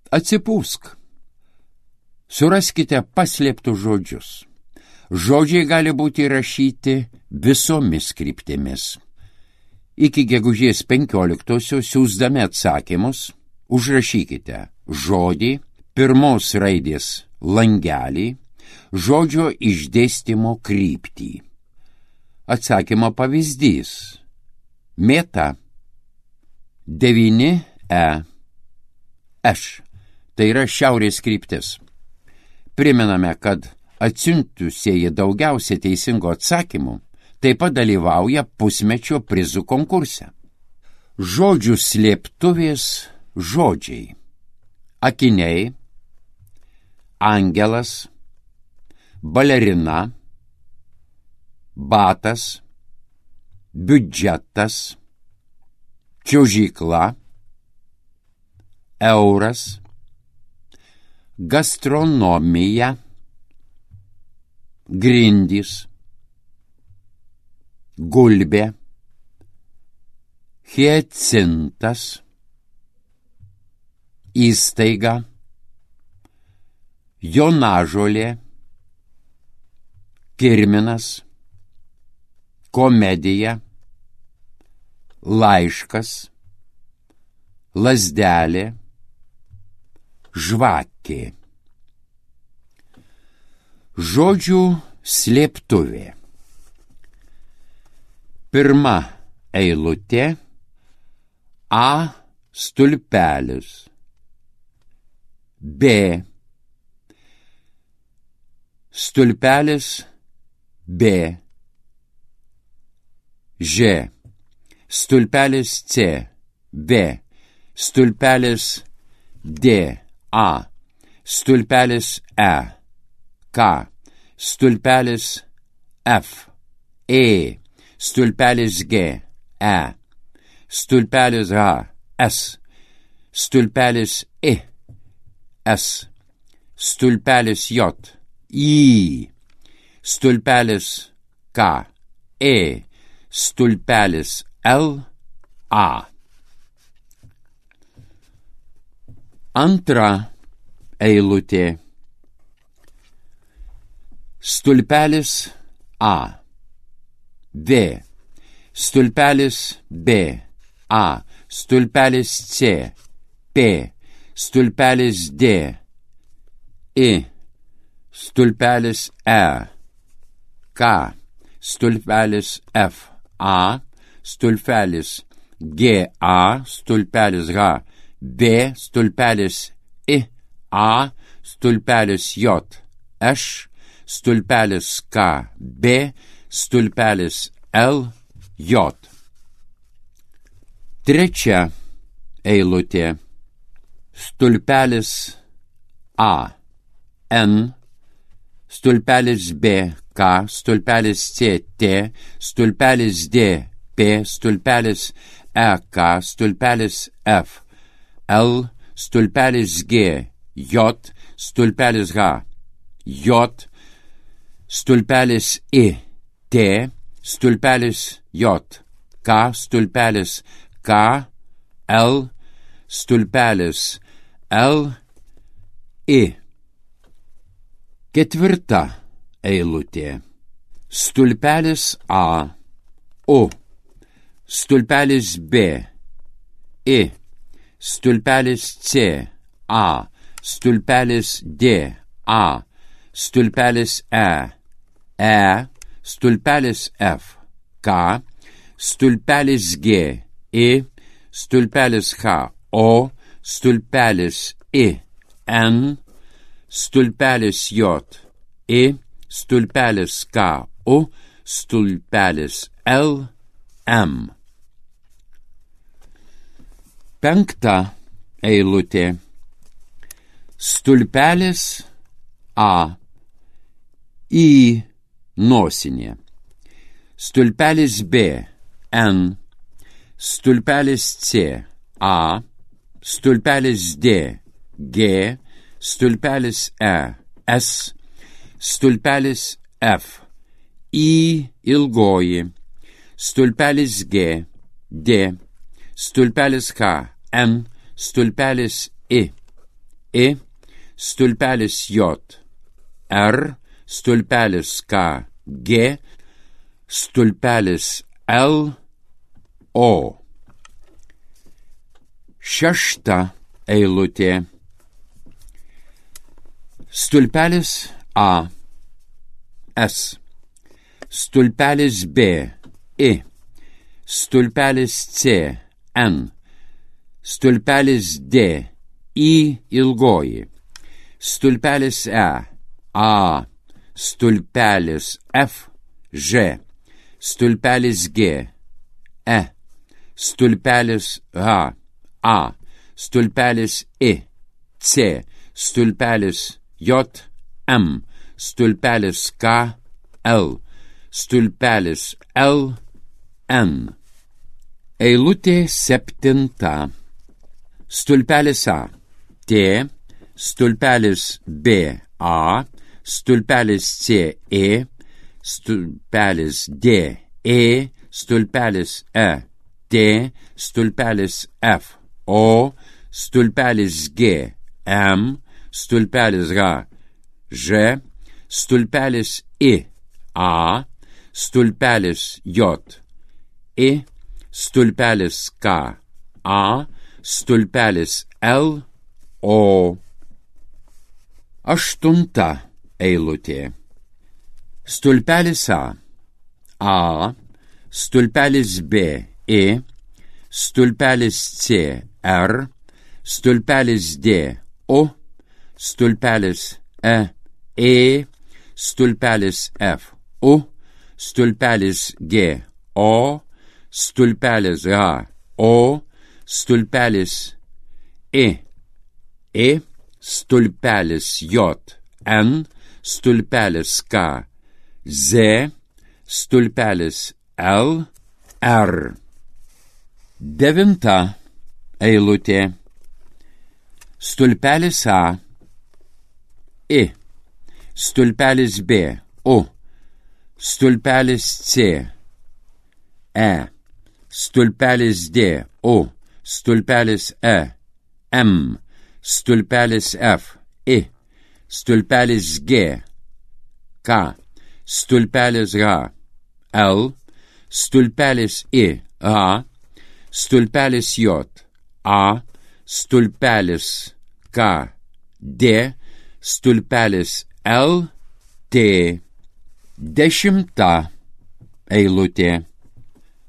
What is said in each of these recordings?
Atsipūsk. Suraskite paslėptus žodžius. Žodžiai gali būti įrašyti visomis kryptimis. Iki gegužės 15-osios siųsdami atsakymus užrašykite žodį, pirmos raidės langelį, žodžio išdėstymo kryptį. Atsakymo pavyzdys. Mėta 9E Š. Tai yra šiaurės kryptis. Primename, kad atsiuntusieji daugiausia teisingų atsakymų taip pat dalyvauja pusmečio prizų konkurse. Žodžių slėptuvės žodžiai. Akiniai, angelas, balerina, batas, biudžetas, čiuožykla, euras, gastronomija, grindys, gulbė, hiacintas, įstaiga, jonažolė, kirminas, komedija, laiškas, lazdelė, žvakė. Žodžių slėptuvė. Pirma eilutė A stulpelis, B stulpelis B, Ž stulpelis C, V stulpelis D, A stulpelis E, K stulpelis F, E stulpelis G, E stulpelis H, S stulpelis I, S stulpelis J, I stulpelis K, E stulpelis L, A. Antra eilutė. Stulpelis A, V stulpelis B, A stulpelis C, P stulpelis D, I stulpelis E, K stulpelis F, A stulpelis G, A stulpelis H, B stulpelis I, A stulpelis J, Š stulpelis K, B stulpelis L, J. Trečia eilutė. Stulpelis A, N stulpelis B, K stulpelis C, T stulpelis D, P stulpelis E, K stulpelis F, L stulpelis G, J stulpelis H, J stulpelis I, T stulpelis J, K stulpelis K, L stulpelis L, I. Ketvirta eilutė. Stulpelis A, O stulpelis B, I stulpelis C, A stulpelis D, A stulpelis E, E stulpelis F, K stulpelis G, I stulpelis H, O stulpelis I, N stulpelis J, I stulpelis K, O stulpelis L, M. Penkta eilutė. Stulpelis A, I nosinė. Stulpelis B, N stulpelis C, A stulpelis D, G stulpelis E, S stulpelis F, I ilgoji, stulpelis G, D stulpelis H, N stulpelis I, I, stulpelis J, R, stulpelis K, G, stulpelis L, O. Šešta eilutė. Stulpelis A, S, stulpelis B, I, stulpelis C, N, stulpelis D, I ilgoji, stulpelis E, A, stulpelis F, Ž, stulpelis G, E, stulpelis H, A, stulpelis I, C, stulpelis J, M, stulpelis K, L, stulpelis L, N. Eilutė septinta. Stulpelis A, T, stulpelis B, A, stulpelis C, E, stulpelis D, E, stulpelis E, D, stulpelis F, O, stulpelis G, M, stulpelis H, Ž, stulpelis I, A, stulpelis J, I, stulpelis K, A, stulpelis L, O. Aštunta eilutė. Stulpelis A, stulpelis B, I, stulpelis C, R, stulpelis D, O, stulpelis E, stulpelis F, U, stulpelis G, O, stulpelis H, O, stulpelis I, stulpelis J, N, stulpelis K, Z, stulpelis L, R. Devinta eilutė. Stulpelis A, I, stulpelis B, U, stulpelis C, E, stulpelis D, U, stulpelis E, M, stulpelis F, I, stulpelis G, K, stulpelis H, L, stulpelis I, H, stulpelis J, A, stulpelis K, D, stulpelis L, T. Dešimta eilutė.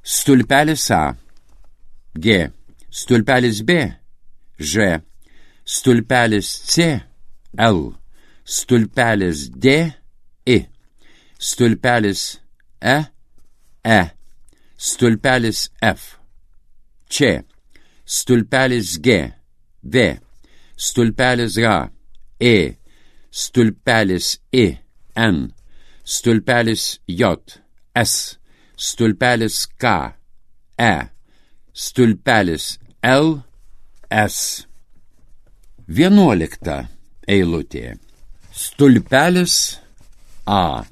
Stulpelis A, G, stulpelis B, Ž, stulpelis C, L, stulpelis D, I, stulpelis E, stulpelis F, Č, stulpelis G, V, stulpelis H, E, stulpelis I, N, stulpelis J, S, stulpelis K, E, stulpelis L, S. 11 eilutė. Stulpelis A,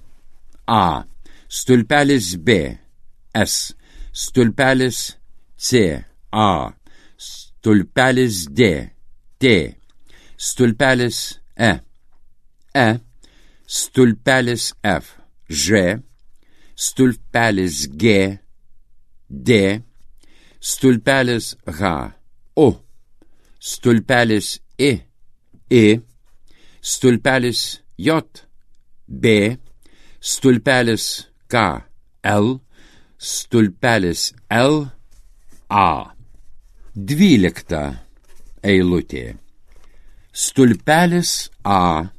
stulpelis B, S, stulpelis C, A, stulpelis D, T, stulpelis E, stulpelis F, Ž, stulpelis G, D, stulpelis H, O, stulpelis I, stulpelis J, B, stulpelis K, L, stulpelis L, A. 12 eilutė. Stulpelis A,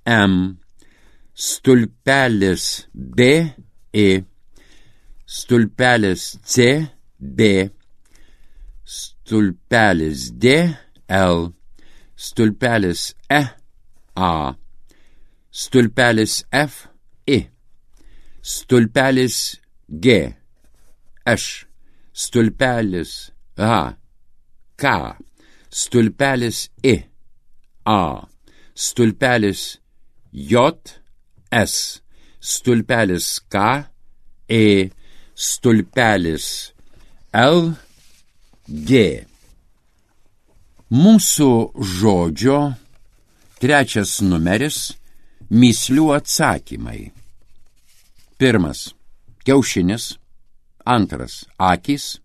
M, stulpelis B, I, stulpelis C, B, stulpelis D, L, stulpelis E, A, stulpelis F, I, stulpelis G, H, stulpelis H, K, stulpelis I, A, stulpelis J, S, stulpelis K, E, stulpelis L, G. Mūsų žodžio 3 numeris – mįslių atsakymai. 1. Kiaušinis. 2. Akys.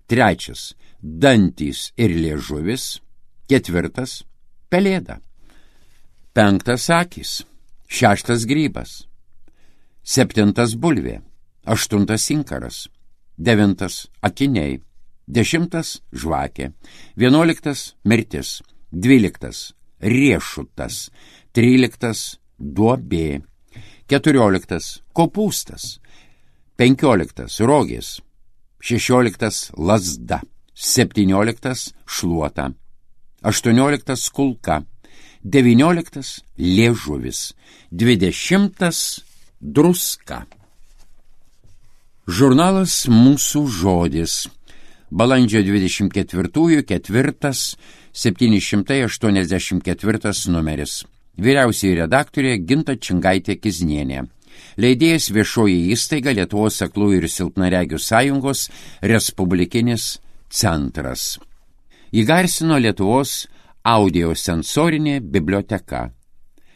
3. Dantys ir liežuvis. 4. Pelėda. 5. Akys. 6. Grybas. 7. Bulvė. 8. Inkaras. 9. Akiniai. 10. Žvakė. 11. Mirtis. 12. Riešutas. 13. Duobė. 14. Kopūstas. 15. Rogės. 16. Lazda. 17. Šluota. 18. Kulka. 19. Liežuvis. 20. Druska. Žurnalas Mūsų žodis. Balandžio 24, 4, 784 numeris. Vyriausioji redaktorė Ginta Čingaitė-Kiznienė. Leidėjas Viešoji įstaiga Lietuvos aklųjų ir silpnaregių sąjungos Respublikinis centras. Įgarsino Lietuvos audiosensorinė biblioteka.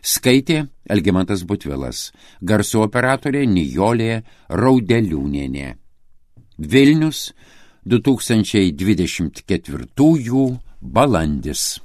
Skaitė Algimantas Butvilas. Garso operatorė Nijolė Raudeliūnienė. Vilnius, 2024 balandis.